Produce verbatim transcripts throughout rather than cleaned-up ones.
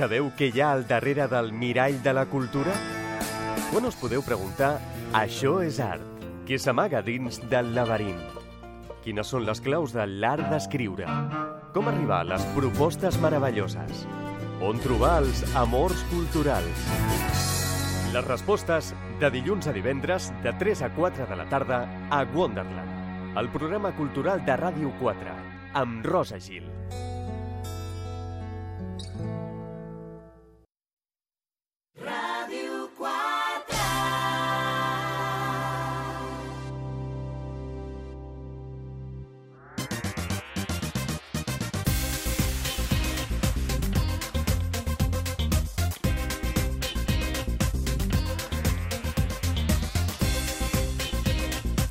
Sabeu què hi ha al darrere del mirall de la cultura? Quan us podeu preguntar, això és art, que s'amaga dins del laberint. Quines són les claus de l'art d'escriure? Com arribar a les propostes meravelloses? On trobar els amors culturals? Les respostes de dilluns a divendres de tres a quatre de la tarda a Wonderland, el programa cultural de Ràdio quatre, amb Rosa Gil.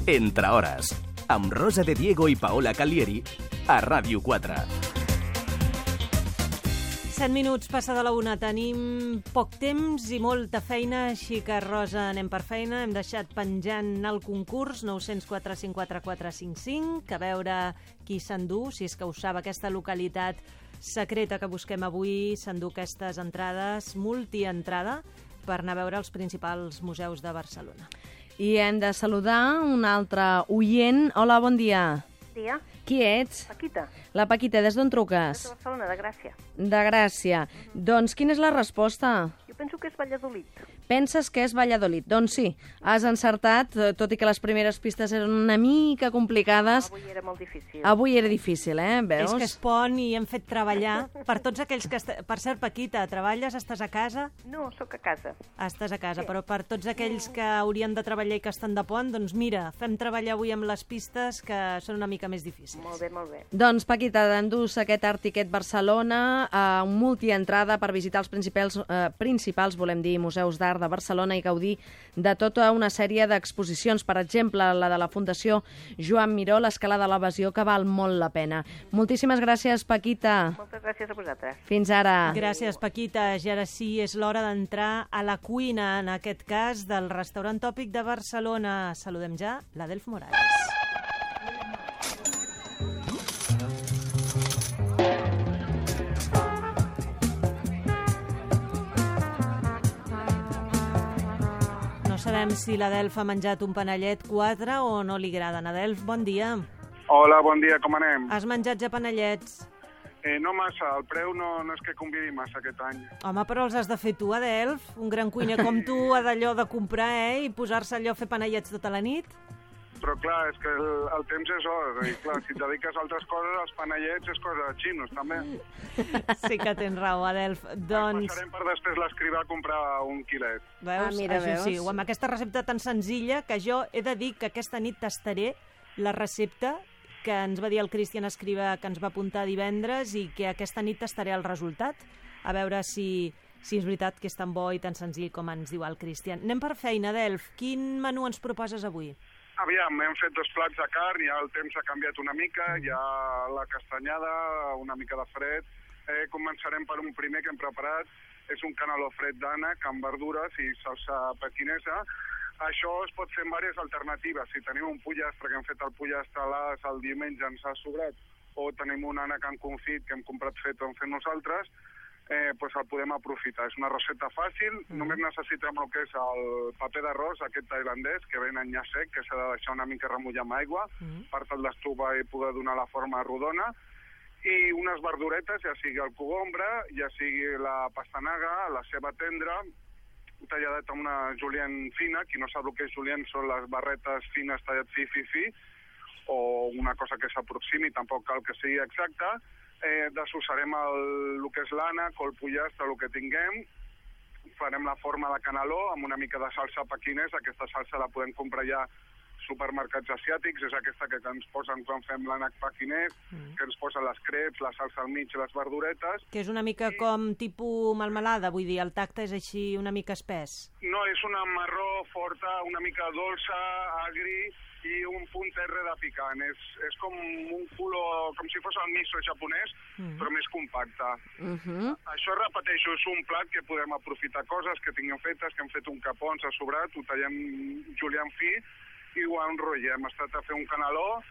Entre hores, amb Rosa de Diego i Paola Calieri, a Ràdio quatre. Set minuts passa de la una. Tenim poc temps i molta feina, així que, Rosa, anem per feina. Hem deixat penjant el concurs nou zero quatre cinc quatre quatre cinc cinc, a veure qui s'endú, si és que ho sap, aquesta localitat secreta que busquem avui, s'endú aquestes entrades, multientrada, per anar a veure els principals museus de Barcelona. I hem de saludar un altre oient. Hola, bon dia. Bon dia. Qui ets? Paquita. La Paquita, des d'on truques? De Barcelona, de Gràcia. De Gràcia. Mm-hmm. Doncs quina és la resposta? Jo penso que és Valladolid. Penses que és Valladolid? Doncs sí, has encertat, tot i que les primeres pistes eren una mica complicades. Avui era molt difícil. Avui era difícil, eh? Veus? És que es pon i hem fet treballar per tots aquells que... Est... Per cert, Paquita, treballes? Estàs a casa? No, sóc a casa. Estàs a casa, Sí. Però per tots aquells que haurien de treballar i que estan de pont, doncs mira, fem treballar avui amb les pistes que són una mica més difícils. Molt bé, molt bé. Doncs, Paquita, t'endús aquest Art Ticket Barcelona, eh, un multientrada per visitar els principals, eh, principals, volem dir, museus d'art de Barcelona i gaudir de tota una sèrie d'exposicions, per exemple, la de la Fundació Joan Miró, l'Escala de l'Evasió, que val molt la pena. Moltíssimes gràcies, Paquita. Moltes gràcies a vosaltres. Fins ara. Gràcies, Paquita. I ara sí, és l'hora d'entrar a la cuina, en aquest cas, del restaurant tòpic de Barcelona. Saludem ja l'Adelf Morales. No sabem si l'Adelf ha menjat un panellet quatre o no li agraden. Adelf, bon dia. Hola, bon dia, com anem? Has menjat ja panellets? Eh, no massa, el preu no, no és que convidi massa aquest any. Home, però els has de fer tu, Adelf. Un gran cuiner com tu ha d'allò de comprar, eh? I posar-se allò a fer panellets tota la nit. Però clar, és que el, el temps és or, i clar, si et dediques a altres coses, els panellets és cosa de xinos, també. Sí que tens raó, Adelf. Doncs... Passarem per després l'escrivà a comprar un quilet. Veus? Ah, mira, Això veus? sí, amb aquesta recepta tan senzilla que jo he de dir que aquesta nit tastaré la recepta que ens va dir el Cristian Escrivà, que ens va apuntar divendres, i que aquesta nit tastaré el resultat, a veure si, si és veritat que és tan bo i tan senzill com ens diu el Cristian. Anem per feina, Adelf. Quin menú ens proposes avui? Aviam, hem fet dos plats de carn, ja el temps ha canviat una mica, ja la castanyada, una mica de fred. Eh, començarem per un primer que hem preparat, és un caneló fred d'ànec amb verdures i salsa pequinesa. Això es pot fer amb diverses alternatives. Si tenim un pollastre, que hem fet el pollastre a l'as el diumenge, ens ha sobrat, o tenim un ànec en confit que hem comprat fet o hem fet nosaltres, eh, pues el podem aprofitar. És una recepta fàcil, mm. només necessitem el que és el paper d'arròs, aquest tailandès, que ven en nya sec, que s'ha de deixar una mica remullar amb aigua, mm. per tal d'estovar i poder donar la forma rodona, i unes verduretes, ja sigui el cogombre, ja sigui la pastanaga, la ceba tendra, talladet amb una julienne fina. Qui no sap el que és julienne són les barretes fines tallat fi, fi, fi, o una cosa que s'aproximi, tampoc cal que sigui exacta. Eh, dessossarem el, el que és l'ànec o el pollastre, el que tinguem, farem la forma de caneló amb una mica de salsa pequinesa. Aquesta salsa la podem comprar ja supermercats asiàtics, és aquesta que ens posen quan fem l'ànec pequinès, mm. que ens posen les creps, la salsa al mig i les verduretes. Que és una mica I... com tipus melmelada, vull dir, el tacte és així una mica espès. No, és una marró forta, una mica dolça, agri, i un punt terre de picant. És, és com un color, com si fos el miso japonès, mm. però més compacte. Uh -huh. Això, repeteixo, és un plat que podem aprofitar coses que tinguem fetes, que hem fet un capó, ens ha sobrat, ho tallem julienne fi i ho enrotllem. Es tracta de fer un caneló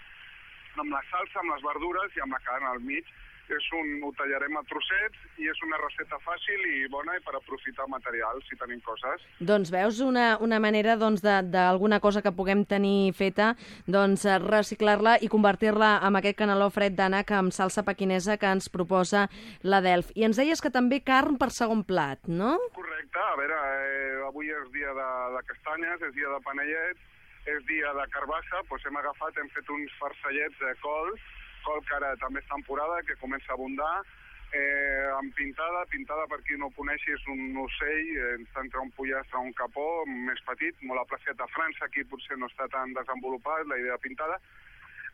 amb la salsa, amb les verdures i amb la carn al mig. És un, ho tallarem a trossets i és una recepta fàcil i bona i per aprofitar materials si tenim coses. Doncs veus una, una manera doncs, d'alguna cosa que puguem tenir feta, doncs reciclar-la i convertir-la en aquest caneló fred d'ànec amb salsa pequinesa que ens proposa la Delf. I ens deies que també carn per segon plat, no? Correcte. A veure, eh, avui és dia de, de castanyes, és dia de panellets, és dia de carbassa, doncs hem agafat, hem fet uns farcellets de col, col que ara també és temporada, que comença a abundar, eh, amb pintada. Pintada, per qui no ho coneixi, és un ocell, eh, entre un pollastre o un capó, més petit, molt apreciat a França, aquí potser no està tan desenvolupat, la idea de pintada.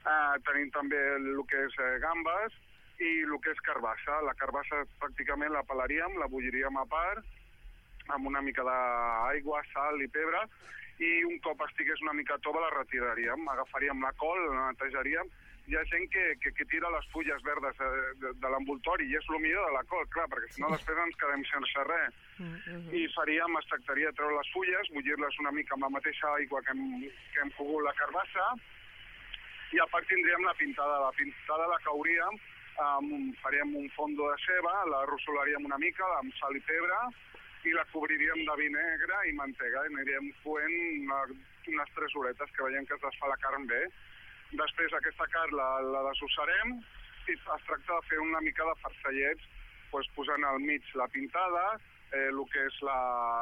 Eh, tenim també el que és eh, gambes i el que és carbassa. La carbassa pràcticament la pelaríem, la bulliríem a part, amb una mica d'aigua, sal i pebre, i un cop estigués una mica tova la retiraríem, agafaríem la col, la netejaríem. Hi ha gent que, que, que tira les fulles verdes de, de, de l'envoltori i és el millor de la col, clar, perquè si no després ens quedem sense res. Mm-hmm. I faríem, es tractaria de treure les fulles, bullir-les una mica amb la mateixa aigua que hem, que hem cogut la carbassa, i a part tindríem la pintada. La pintada la cauríem, um, faríem un fondo de ceba, la rossolaríem una mica amb sal i pebre, i la cobriríem de vi negre i mantega, i aniríem coent una, unes tres horetes que veiem que es desfà la carn bé. Després aquesta carn la, la desossarem i es tracta de fer una mica de farcellets, doncs posant al mig la pintada, eh, el que és la,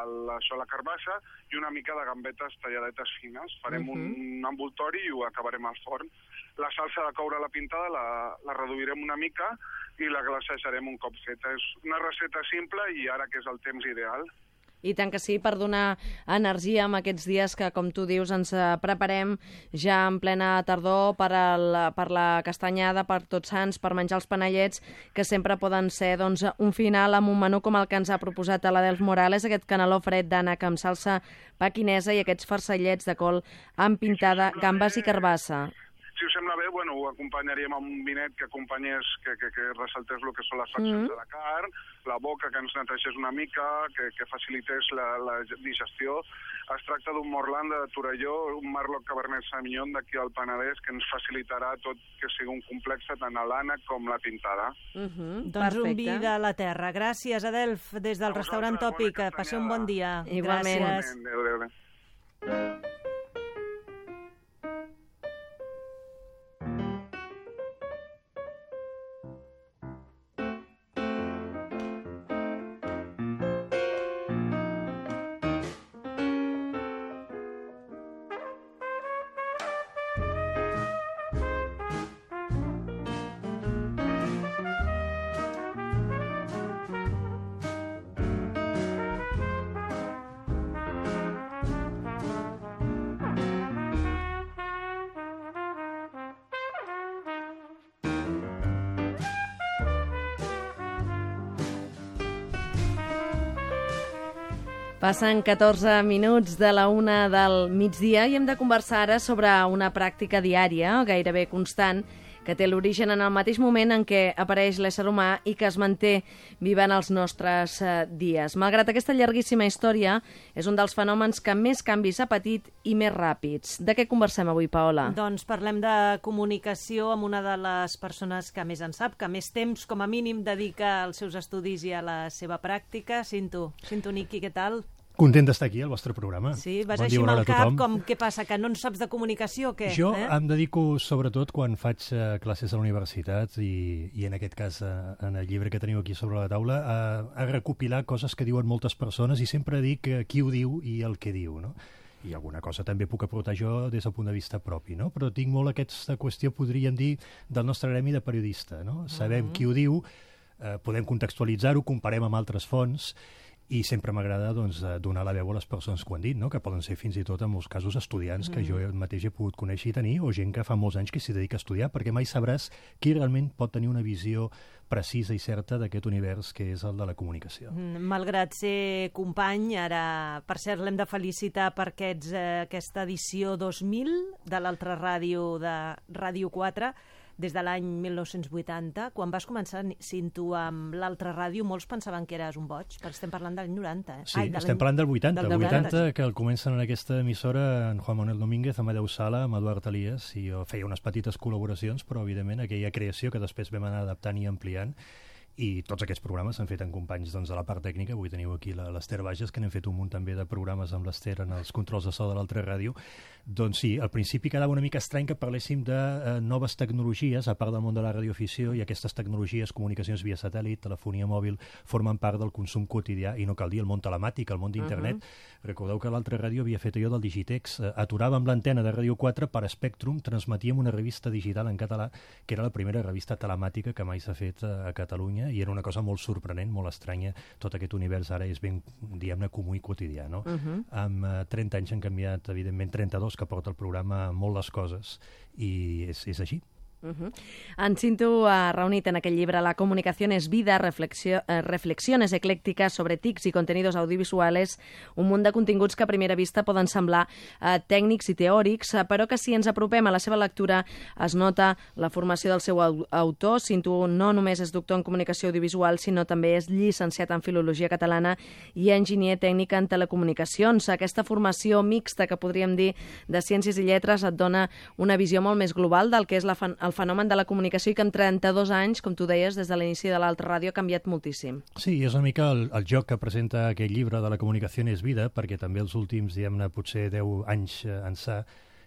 la, això, la carbassa, i una mica de gambetes talladetes fines. Farem uh-huh. un, un envoltori i ho acabarem al forn. La salsa de coure la pintada la, la reduirem una mica i la glacejarem un cop feta. És una recepta simple i ara que és el temps ideal. I tant que sí, per donar energia en aquests dies que, com tu dius, ens preparem ja en plena tardor per, el, per la castanyada, per Tots Sants, per menjar els panellets, que sempre poden ser doncs, un final amb un menú com el que ens ha proposat a la Delf Morales, aquest caneló fred d'ànec amb salsa pequinesa i aquests farcellets de col amb pintada, gambes i carbassa. Si us sembla bé, bueno, ho acompanyaríem amb un vinet que acompanyés, que, que, que ressaltés el que són les faccions mm. de la carn, la boca que ens netegés una mica, que, que facilités la, la digestió. Es tracta d'un morland de Torelló, un Merlot Cabernet Sauvignon d'aquí al Penedès, que ens facilitarà tot que sigui un complex tant a l'ànec com la pintada. Mm-hmm. Doncs perfecte. Un vi de la terra. Gràcies, Adelf, des del restaurant Tòpic. Que passi un bon dia. Igualment. Gràcies. Adéu, adéu, adéu. Passen catorze minuts de la una del migdia i hem de conversar ara sobre una pràctica diària, gairebé constant, que té l'origen en el mateix moment en què apareix l'ésser humà i que es manté viva en els nostres eh, dies. Malgrat aquesta llarguíssima història, és un dels fenòmens que més canvis ha patit i més ràpids. De què conversem avui, Paola? Doncs parlem de comunicació amb una de les persones que més en sap, que més temps, com a mínim, dedica als seus estudis i a la seva pràctica. Cinto, Cinto Niqui, què tal? Content d'estar aquí, al vostre programa. Sí, vas bon així dia, amb el cap, tothom. com què passa, que no en saps de comunicació o què? Jo eh? em dedico, sobretot, quan faig uh, classes a la universitat i, i en aquest cas, uh, en el llibre que teniu aquí sobre la taula, a, a recopilar coses que diuen moltes persones i sempre dic uh, qui ho diu i el que diu, no? I alguna cosa també puc aportar jo des del punt de vista propi, no? Però tinc molt aquesta qüestió, podríem dir, del nostre gremi de periodista, no? Sabem uh-huh. qui ho diu, uh, podem contextualitzar-ho, comparem amb altres fonts, i sempre m'agrada doncs, donar la veu a les persones que ho han dit, no? Que poden ser fins i tot, en molts casos, estudiants que mm. jo mateix he pogut conèixer i tenir, o gent que fa molts anys que s'hi dedica a estudiar, perquè mai sabràs qui realment pot tenir una visió precisa i certa d'aquest univers que és el de la comunicació. Mm, malgrat ser company, ara, per cert, l'hem de felicitar per aquests, eh, aquesta edició dos mil de l'altra ràdio de Ràdio quatre, des de l'any mil nou-cents vuitanta. Quan vas començar, Cinto, amb l'altra ràdio, molts pensaven que eres un boig, perquè estem parlant del noranta. Eh? Sí, Ai, de estem parlant del vuitanta. Del El vuitanta, vuitanta, que el comencen en aquesta emissora en Juan Manuel Domínguez, Amadeu Sala, amb Eduard Elias, i jo feia unes petites col·laboracions, però evidentment aquella creació que després vam anar adaptant i ampliant, i tots aquests programes s'han fet amb companys doncs, de la part tècnica. Avui teniu aquí l'Ester Bages, que n'hem fet un munt també de programes amb l'Ester en els controls de so de l'altra ràdio. Doncs sí, al principi quedava una mica estrany que parléssim de eh, noves tecnologies, a part del món de la radioafició, i aquestes tecnologies, comunicacions via satèl·lit, telefonia mòbil, formen part del consum quotidià, i no cal dir el món telemàtic, el món d'internet. Uh-huh. Recordeu que l'altra ràdio havia fet allò del Digitex, eh, aturàvem l'antena de Ràdio quatre per Spectrum, transmetíem una revista digital en català, que era la primera revista telemàtica que mai s'ha fet a, a Catalunya, i era una cosa molt sorprenent, molt estranya. Tot aquest univers ara és ben, diguem-ne, comú i quotidià, no? Uh-huh. Amb uh, trenta anys han canviat, evidentment, trenta-dos, que porta el programa molt les coses, i és, és així. Uh-huh. En Cinto ha reunit en aquell llibre La comunicación es vida, reflexio, eh, reflexiones eclèctiques sobre tics i contenidos audiovisuales, un munt de continguts que a primera vista poden semblar eh, tècnics i teòrics, eh, però que si ens apropem a la seva lectura es nota la formació del seu au autor. Cinto no només és doctor en comunicació audiovisual, sinó també és llicenciat en filologia catalana i enginyer tècnic en telecomunicacions. Aquesta formació mixta, que podríem dir, de ciències i lletres et dona una visió molt més global del que és la fan el fenomen de la comunicació, i que en trenta-dos anys, com tu deies, des de l'inici de l'altra ràdio ha canviat moltíssim. Sí, és una mica el, el joc que presenta aquest llibre de La comunicació és vida, perquè també els últims, diguem-ne, potser deu anys eh, ençà,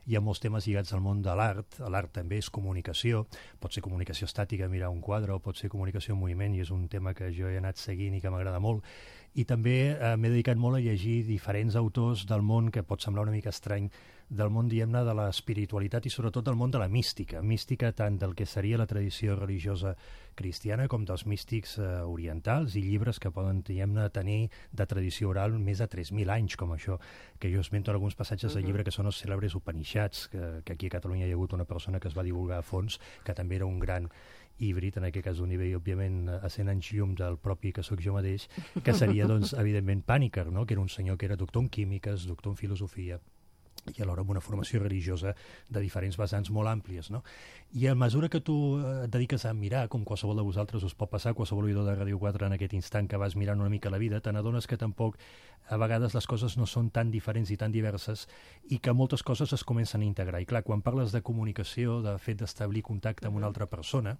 hi ha molts temes lligats al món de l'art. L'art també és comunicació, pot ser comunicació estàtica, mirar un quadre, o pot ser comunicació en moviment, i és un tema que jo he anat seguint i que m'agrada molt. I també eh, m'he dedicat molt a llegir diferents autors del món, que pot semblar una mica estrany, del món, diguem-ne, de l'espiritualitat i sobretot del món de la mística. Mística tant del que seria la tradició religiosa cristiana com dels místics eh, orientals, i llibres que poden, diguem-ne, tenir de tradició oral més de tres mil anys, com això, que jo esmento en alguns passatges del llibre, que són els cèlebres Upanishads, que, que aquí a Catalunya hi ha hagut una persona que es va divulgar a fons, que també era un gran híbrid, en aquest cas d'un nivell, òbviament, a cent anys llum del propi que sóc jo mateix, que seria, doncs, evidentment, Pàniker, no? Que era un senyor que era doctor en químiques, doctor en filosofia, i alhora amb una formació religiosa de diferents vessants molt àmplies, no? I a mesura que tu et dediques a mirar, com qualsevol de vosaltres us pot passar, qualsevol oïdor de Ràdio quatre en aquest instant que vas mirant una mica la vida, te n'adones que tampoc a vegades les coses no són tan diferents i tan diverses, i que moltes coses es comencen a integrar. I clar, quan parles de comunicació, de fet d'establir contacte amb una altra persona,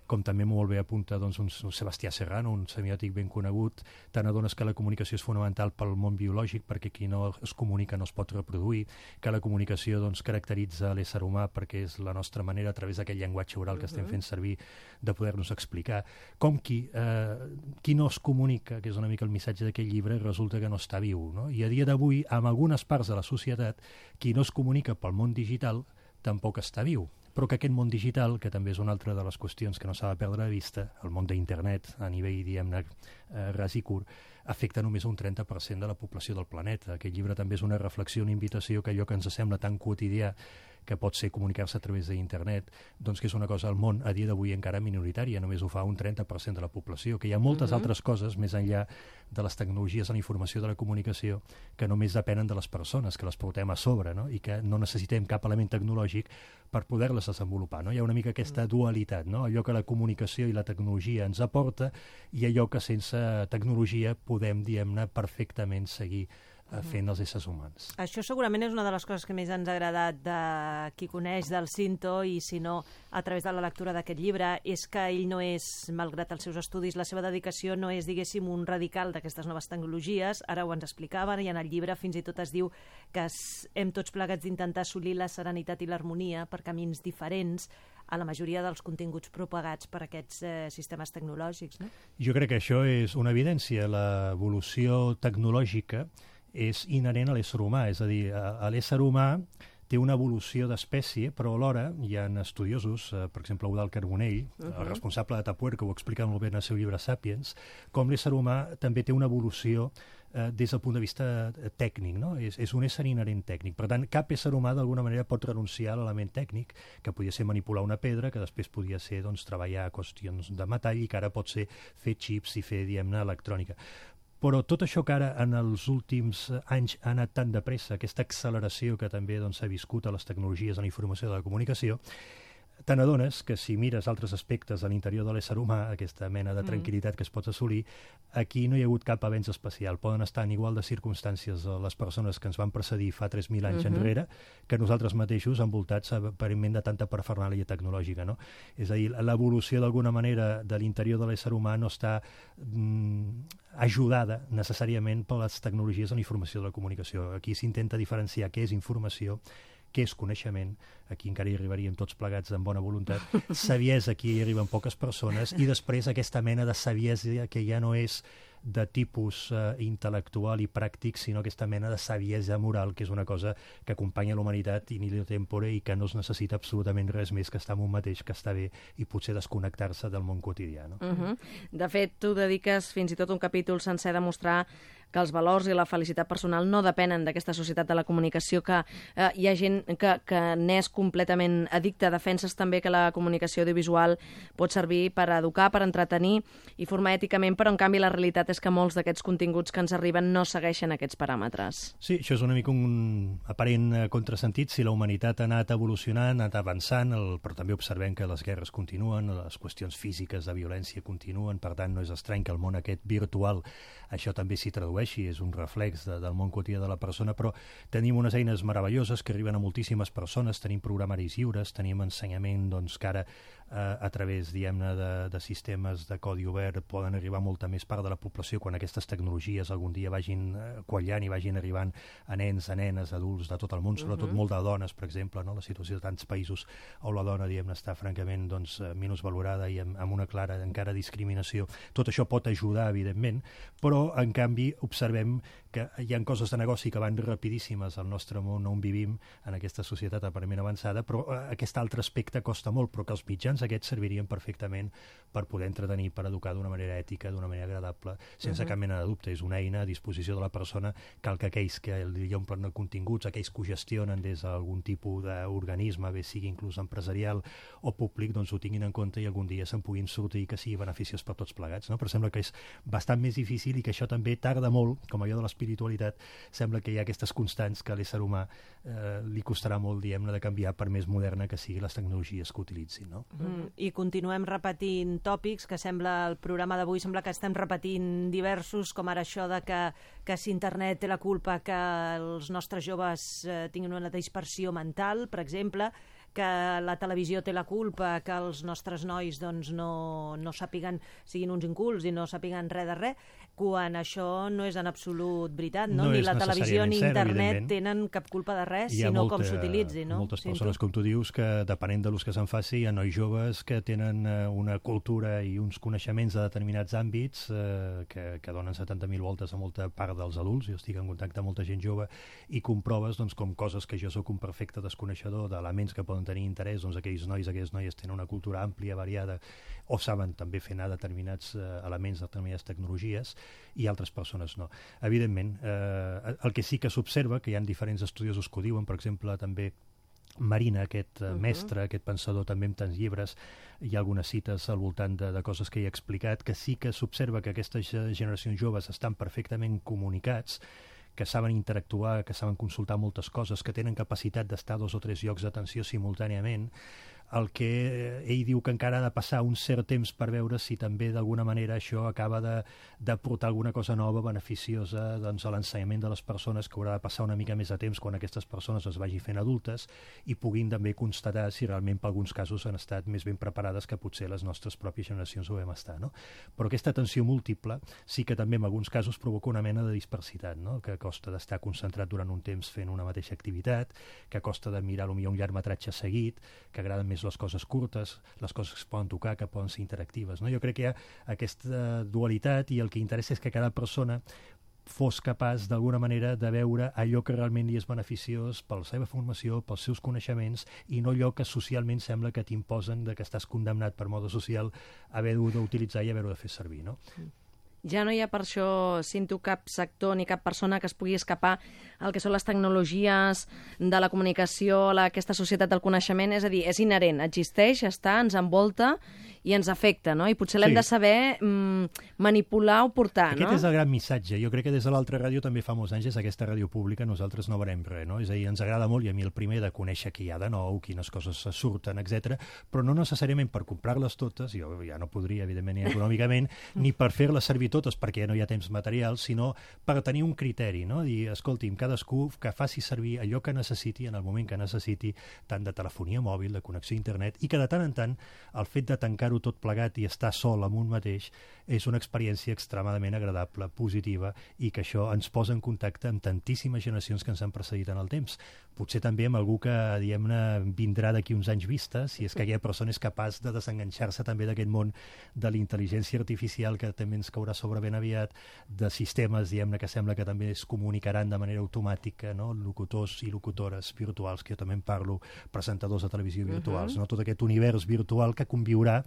com també molt bé apunta doncs, un, un Sebastià Serrano, un semiòtic ben conegut, te n'adones que la comunicació és fonamental pel món biològic, perquè qui no es comunica no es pot reproduir, que la comunicació doncs, caracteritza l'ésser humà perquè és la nostra manera, a través d'aquest llenguatge oral que estem fent servir, de poder-nos explicar. Com qui, eh, qui no es comunica, que és una mica el missatge d'aquest llibre, resulta que no està viu, no? I a dia d'avui, amb algunes parts de la societat, qui no es comunica pel món digital tampoc està viu. Però que aquest món digital, que també és una altra de les qüestions que no s'ha de perdre de vista, el món d'internet a nivell, diguem-ne, eh, ras i curt, afecta només un trenta per cent de la població del planeta. Aquest llibre també és una reflexió, una invitació, que allò que ens sembla tan quotidià, que pot ser comunicar-se a través d'internet, doncs que és una cosa al món a dia d'avui encara minoritària, només ho fa un trenta per cent de la població, que hi ha moltes uh-huh. altres coses més enllà de les tecnologies de la informació, de la comunicació, que només depenen de les persones, que les portem a sobre, no? I que no necessitem cap element tecnològic per poder-les desenvolupar, no? Hi ha una mica aquesta dualitat, no? Allò que la comunicació i la tecnologia ens aporta, i allò que sense tecnologia podem, diguem-ne, perfectament seguir fent els éssers humans. Això segurament és una de les coses que més ens ha agradat de qui coneix del Cinto, i si no, a través de la lectura d'aquest llibre, és que ell no és, malgrat els seus estudis, la seva dedicació no és, diguéssim, un radical d'aquestes noves tecnologies. Ara ho ens explicaven, i en el llibre fins i tot es diu que hem tots plegats d'intentar assolir la serenitat i l'harmonia per camins diferents a la majoria dels continguts propagats per aquests eh, sistemes tecnològics, no? Jo crec que això és una evidència. L'evolució tecnològica és inherent a l'ésser humà, és a dir, a, a l'ésser humà té una evolució d'espècie, però alhora hi ha estudiosos, eh, per exemple, Eudald Carbonell, uh-huh. el responsable de Tupperware, que ho explica molt bé en el seu llibre Sapiens, com l'ésser humà també té una evolució eh, des del punt de vista tècnic, no? És, és un ésser inherent tècnic. Per tant, cap ésser humà d'alguna manera pot renunciar a l'element tècnic, que podia ser manipular una pedra, que després podia ser doncs, treballar qüestions de metall, i que ara pot ser fer xips i fer, diguem-ne, electrònica. Però tot això que ara en els últims anys ha anat tan de pressa, aquesta acceleració que també doncs, s'ha viscut a les tecnologies de la informació i de la comunicació, te n'adones que si mires altres aspectes a l'interior de l'ésser humà, aquesta mena de tranquil·litat que es pot assolir, aquí no hi ha hagut cap avenç especial. Poden estar en igual de circumstàncies les persones que ens van precedir fa tres mil anys uh-huh. enrere que nosaltres mateixos envoltats aparentment de tanta parafernàlia tecnològica. No? És a dir, l'evolució d'alguna manera de l'interior de l'ésser humà no està mm, ajudada necessàriament per les tecnologies de la informació de la comunicació. Aquí s'intenta diferenciar què és informació, què és coneixement, aquí encara hi arribaríem tots plegats amb bona voluntat, saviesa, aquí hi arriben poques persones, i després aquesta mena de saviesa que ja no és de tipus eh, intel·lectual i pràctic, sinó aquesta mena de saviesa moral, que és una cosa que acompanya la humanitat in illo tempore i que no es necessita absolutament res més que estar amb un mateix, que està bé, i potser desconnectar-se del món quotidià. No? Uh-huh. De fet, tu dediques fins i tot un capítol sencer a demostrar que els valors i la felicitat personal no depenen d'aquesta societat de la comunicació, que eh, hi ha gent que, que n'és completament addicta. Defenses també que la comunicació audiovisual pot servir per educar, per entretenir i formar èticament, però en canvi la realitat és que molts d'aquests continguts que ens arriben no segueixen aquests paràmetres. Sí, això és una mica un aparent contrasentit. Si la humanitat ha anat evolucionant, ha anat avançant, el, però també observem que les guerres continuen, les qüestions físiques de violència continuen, per tant no és estrany que el món aquest virtual això també s'hi tradueixi, és un reflex de, del món quotidià de la persona, però tenim unes eines meravelloses que arriben a moltíssimes persones, tenim programaris lliures, tenim ensenyament doncs, que ara eh, a través, diguem-ne, de, de sistemes de codi obert poden arribar a molta més part de la població quan aquestes tecnologies algun dia vagin eh, quallant i vagin arribant a nens, a nenes, adults de tot el món, sobretot uh-huh. molt de dones, per exemple, no? La situació de tants països on la dona, diguem-ne, està francament doncs, minusvalorada i amb, amb una clara encara discriminació. Tot això pot ajudar, evidentment, però en canvi observem que hi ha coses de negoci que van rapidíssimes al nostre món on vivim, en aquesta societat aparentment avançada, però eh, aquest altre aspecte costa molt, però que els mitjans aquests servirien perfectament per poder entretenir, per educar d'una manera ètica, d'una manera agradable, sense uh-huh. cap mena de dubte. És una eina a disposició de la persona, cal que aquells que li omplen continguts, aquells que ho gestionen des d'algun tipus d'organisme, bé sigui inclús empresarial o públic, doncs ho tinguin en compte i algun dia se'n puguin sortir, que sigui beneficiós per tots plegats. No? Però sembla que és bastant més difícil i que això també tarda molt, com allò de l'espiritualitat, sembla que hi ha aquestes constants que a l'ésser humà eh, li costarà molt, diguem-ne, de canviar per més moderna que sigui les tecnologies que utilitzin. No? Mm, I continuem repetint tòpics que sembla, el programa d'avui sembla que estem repetint diversos, com ara això de que, que si internet té la culpa que els nostres joves eh, tinguin una dispersió mental, per exemple, que la televisió té la culpa que els nostres nois doncs, no, no sàpiguen, siguin uns incults i no sàpiguen res de res, quan això no és en absolut veritat, no? No Ni la televisió ni cert, internet tenen cap culpa de res, sinó molta, com s'utilitzi. No? Moltes persones, com tu dius, que depenent de l'ús que se'n faci, hi ha nois joves que tenen eh, una cultura i uns coneixements de determinats àmbits eh, que, que donen setanta mil voltes a molta part dels adults. Jo estic en contacte amb molta gent jove i comproves doncs, com coses que jo sóc un perfecte desconeixedor d'elements que poden tenir interès, doncs aquells nois, aquelles noies tenen una cultura àmplia, variada, o saben també fer anar determinats eh, elements, determinades tecnologies, i altres persones no. Evidentment, eh, el que sí que s'observa, que hi ha diferents estudiosos que ho diuen, per exemple, també Marina, aquest uh, mestre, uh-huh. aquest pensador també amb tants llibres, hi ha algunes cites al voltant de, de coses que he explicat, que sí que s'observa que aquestes generacions joves estan perfectament comunicats, que saben interactuar, que saben consultar moltes coses, que tenen capacitat d'estar a dos o tres llocs d'atenció simultàniament. El que ell diu que encara ha de passar un cert temps per veure si també d'alguna manera això acaba de, de portar alguna cosa nova, beneficiosa doncs, a l'ensenyament de les persones, que haurà de passar una mica més de temps quan aquestes persones es vagin fent adultes i puguin també constatar si realment per alguns casos han estat més ben preparades que potser les nostres pròpies generacions ho vam estar. No? Però aquesta atenció múltiple sí que també en alguns casos provoca una mena de dispersitat, no? Que costa d'estar concentrat durant un temps fent una mateixa activitat, que costa de mirar potser un llargmetratge seguit, que agraden més les coses curtes, les coses que es poden tocar, que poden ser interactives. No? Jo crec que hi ha aquesta dualitat i el que interessa és que cada persona fos capaç d'alguna manera de veure allò que realment li és beneficiós per la seva formació, pels seus coneixements, i no allò que socialment sembla que t'imposen de que estàs condemnat per mode social a haver-ho d'utilitzar i haver-ho de fer servir. No? Ja no hi ha per això, Cinto, cap sector ni cap persona que es pugui escapar al que són les tecnologies de la comunicació, la, aquesta societat del coneixement, és a dir, és inherent, existeix, està, ens envolta i ens afecta, no? I potser l'hem Sí. de saber mm, manipular o portar, Aquest no? és el gran missatge. Jo crec que des de l'altra ràdio també fa molts anys, és aquesta ràdio pública, nosaltres no veurem res, no? És a dir, ens agrada molt, i a mi el primer, de conèixer què hi ha de nou, quines coses se surten, etcètera, però no necessàriament per comprar-les totes, jo ja no podria, evidentment, ni econòmicament, ni per fer-les servir totes perquè ja no hi ha temps material, sinó per tenir un criteri, no? Dir, escolti'm, cadascú que faci servir allò que necessiti en el moment que necessiti, tant de telefonia mòbil, de connexió a internet, i que de tant en tant el fet de tancar-ho tot plegat i estar sol amb un mateix és una experiència extremadament agradable, positiva, i que això ens posa en contacte amb tantíssimes generacions que ens han precedit en el temps. Potser també amb algú que, diguem-ne, vindrà d'aquí uns anys vista, si és que aquella persona és capaç de desenganxar-se també d'aquest món de l'intel·ligència artificial que també ens caurà sobre ben aviat, de sistemes, diguem-ne, que sembla que també es comunicaran de manera automàtica, no? Locutors i locutores virtuals, que jo també en parlo, presentadors de televisió virtuals, uh-huh. no? Tot aquest univers virtual que conviurà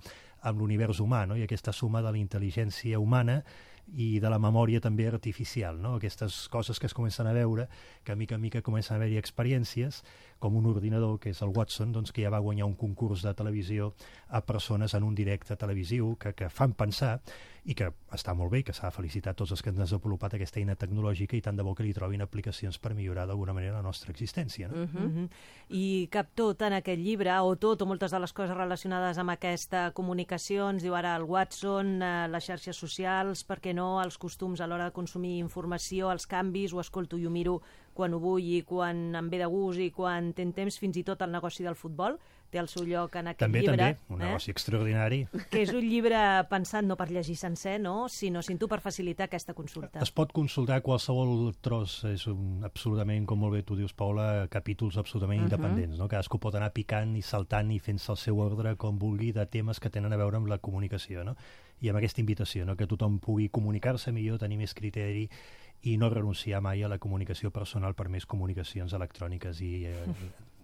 amb l'univers humà, no? I aquesta suma de la intel·ligència humana i de la memòria també artificial, no? Aquestes coses que es comencen a veure, que a mica a mica comencen a haver-hi experiències, com un ordinador, que és el Watson, doncs, que ja va guanyar un concurs de televisió a persones en un directe televisiu que, que fan pensar, i que està molt bé, que s'ha de felicitar tots els que han desenvolupat aquesta eina tecnològica, i tant de bo que li trobin aplicacions per millorar d'alguna manera la nostra existència. No? Uh-huh. Uh-huh. I cap tot en aquest llibre, o tot, o moltes de les coses relacionades amb aquesta comunicació, ens diu ara el Watson, eh, les xarxes socials, per què no, els costums a l'hora de consumir informació, els canvis, ho escolto i ho miro quan ho vull i quan em ve de gust i quan ten temps, fins i tot el negoci del futbol té el seu lloc en aquest també, llibre. També, un negoci eh? extraordinari. Que és un llibre pensat no per llegir sencer, no? sinó, sinó per facilitar aquesta consulta. Es pot consultar qualsevol tros, és un, absolutament, com molt bé tu dius, Paula, capítols absolutament uh-huh. independents, no? Cadascú pot anar picant i saltant i fent-se el seu ordre com vulgui de temes que tenen a veure amb la comunicació, no? I amb aquesta invitació, no? Que tothom pugui comunicar-se millor, tenir més criteri i no renunciar mai a la comunicació personal per més comunicacions electròniques i eh,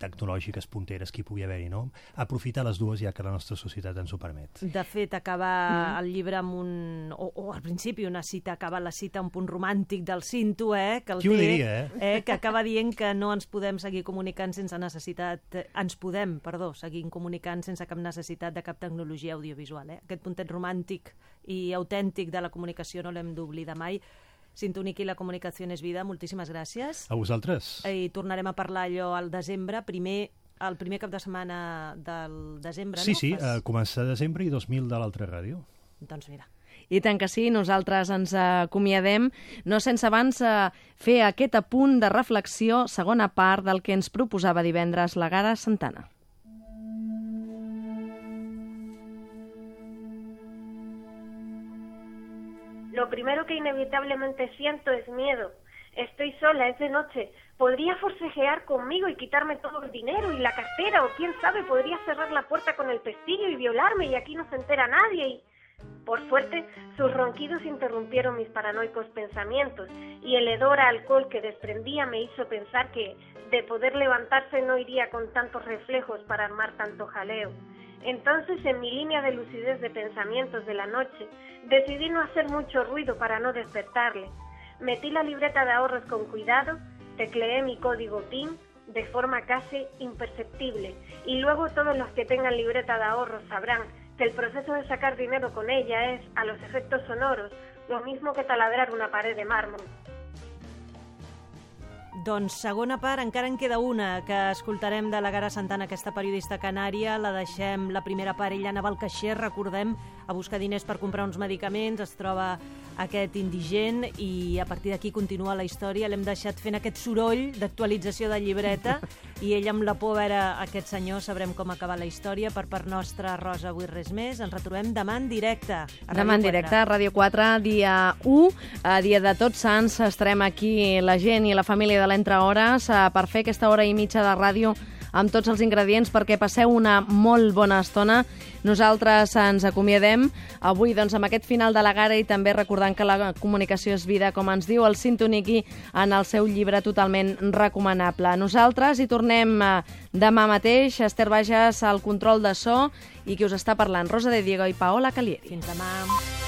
tecnològiques punteres que hi pugui haver-hi, no? Aprofitar les dues, ja que la nostra societat ens ho permet. De fet, acaba mm. el llibre amb un... O, o al principi una cita, acaba la cita amb un punt romàntic del Cinto, eh? Que el Qui ho té, diria, eh? eh? Que acaba dient que no ens podem seguir comunicant sense necessitat... Ens podem, perdó, seguir comunicant sense cap necessitat de cap tecnologia audiovisual, eh? Aquest puntet romàntic i autèntic de la comunicació no l'hem d'oblidar mai. Sintonic i la comunicació és vida, moltíssimes gràcies. A vosaltres. I tornarem a parlar allò al desembre, primer, el primer cap de setmana del desembre, sí, no? Sí, sí, Fas... a començar de desembre i dos mil de l'altra ràdio. Doncs mira. I tant que sí, nosaltres ens acomiadem, no sense abans fer aquest apunt de reflexió, segona part del que ens proposava divendres la Gara Santana. Lo primero que inevitablemente siento es miedo. Estoy sola, es de noche. Podría forcejear conmigo y quitarme todo el dinero y la cartera, o quién sabe, podría cerrar la puerta con el pestillo y violarme y aquí no se entera nadie. Y por suerte, sus ronquidos interrumpieron mis paranoicos pensamientos y el hedor a alcohol que desprendía me hizo pensar que, de poder levantarse, no iría con tantos reflejos para armar tanto jaleo. Entonces, en mi línea de lucidez de pensamientos de la noche, decidí no hacer mucho ruido para no despertarle. Metí la libreta de ahorros con cuidado, tecleé mi código P I N de forma casi imperceptible y luego todos los que tengan libreta de ahorros sabrán que el proceso de sacar dinero con ella es, a los efectos sonoros, lo mismo que taladrar una pared de mármol. Doncs segona part, encara en queda una, que escoltarem de la Gara Santana, aquesta periodista canària. La deixem, la primera part, ella anava al caixer, recordem, a buscar diners per comprar uns medicaments, es troba aquest indigent i a partir d'aquí continua la història. L'hem deixat fent aquest soroll d'actualització de llibreta i ell amb la por a veure aquest senyor, sabrem com acaba la història. Per part nostra, Rosa, avui res més. Ens retrobem demà en directe. Demà en directe a Ràdio quatre, dia u, a dia de Tots Sants. Estarem aquí la gent i la família de l'Entre Hores per fer aquesta hora i mitja de ràdio amb tots els ingredients perquè passeu una molt bona estona. Nosaltres ens acomiadem avui doncs, amb aquest final de la Gara i també recordant que la comunicació és vida, com ens diu el Sintoniqui en el seu llibre totalment recomanable. Nosaltres hi tornem demà mateix. Esther Bages al control de so i qui us està parlant, Rosa de Diego i Paola Calieri. Fins demà.